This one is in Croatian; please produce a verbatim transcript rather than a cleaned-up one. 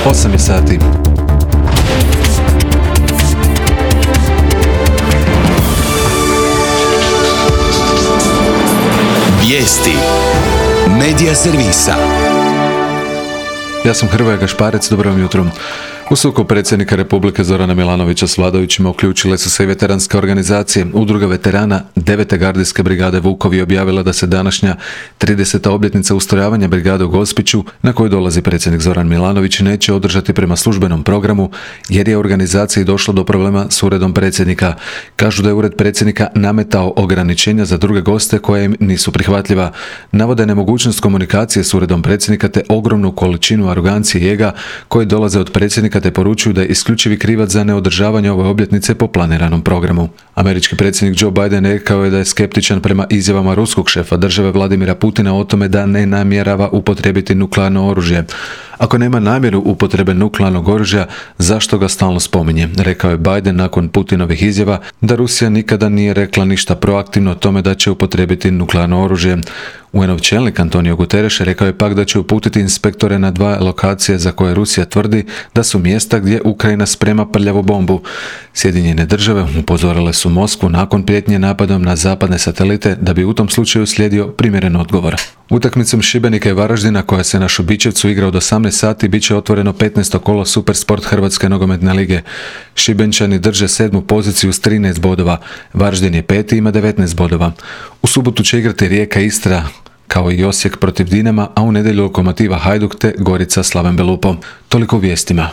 osam je sati. Vijesti Medija servisa. Ja sam Hrvoje Gašparec, dobro vam jutro. U sukob predsjednika Republike Zorana Milanovića s vladajućima uključile su se i veteranske organizacije. Udruga veterana devete gardijske brigade Vukovi objavila da se današnja trideseta obljetnica ustrojavanja brigade u Gospiću, na koju dolazi predsjednik Zoran Milanović, neće održati prema službenom programu jer je organizaciji došlo do problema s uredom predsjednika. Kažu da je ured predsjednika nametao ograničenja za druge goste koje im nisu prihvatljiva. Navode nemogućnost komunikacije s uredom predsjednika te ogromnu količinu arogancije i ega koji dolaze od predsjednika te poručuju da je isključivi krivac za neodržavanje ove obljetnice po planiranom programu. Američki predsjednik Joe Biden rekao je da je skeptičan prema izjavama ruskog šefa države Vladimira Putina o tome da ne namjerava upotrijebiti nuklearno oružje. Ako nema namjeru upotrebe nuklearnog oružja, zašto ga stalno spominje? Rekao je Biden nakon Putinovih izjava da Rusija nikada nije rekla ništa proaktivno o tome da će upotrijebiti nuklearno oružje. U en ov čelnik Antonio Guterres rekao je pak da će uputiti inspektore na dva lokacije za koje Rusija tvrdi da su mjesta gdje Ukrajina sprema prljavu bombu. Sjedinjene države upozorile su Moskvu nakon prijetnje napadom na zapadne satelite da bi u tom slučaju slijedio primjeren odgovor. Utakmicom Šibenika i Varaždina koja se na Šubićevcu igra od osamnaest sati bit će otvoreno petnaesto kolo Supersport Hrvatske nogometne lige. Šibenčani drže sedmu poziciju s trinaest bodova, Varaždin je peti i ima devetnaest bodova. U subotu će igrati Rijeka Istra, kao i Osijek protiv Dinama, a u nedjelju Lokomotiva Hajduk te Gorica Slaven Belupo. Toliko u vijestima.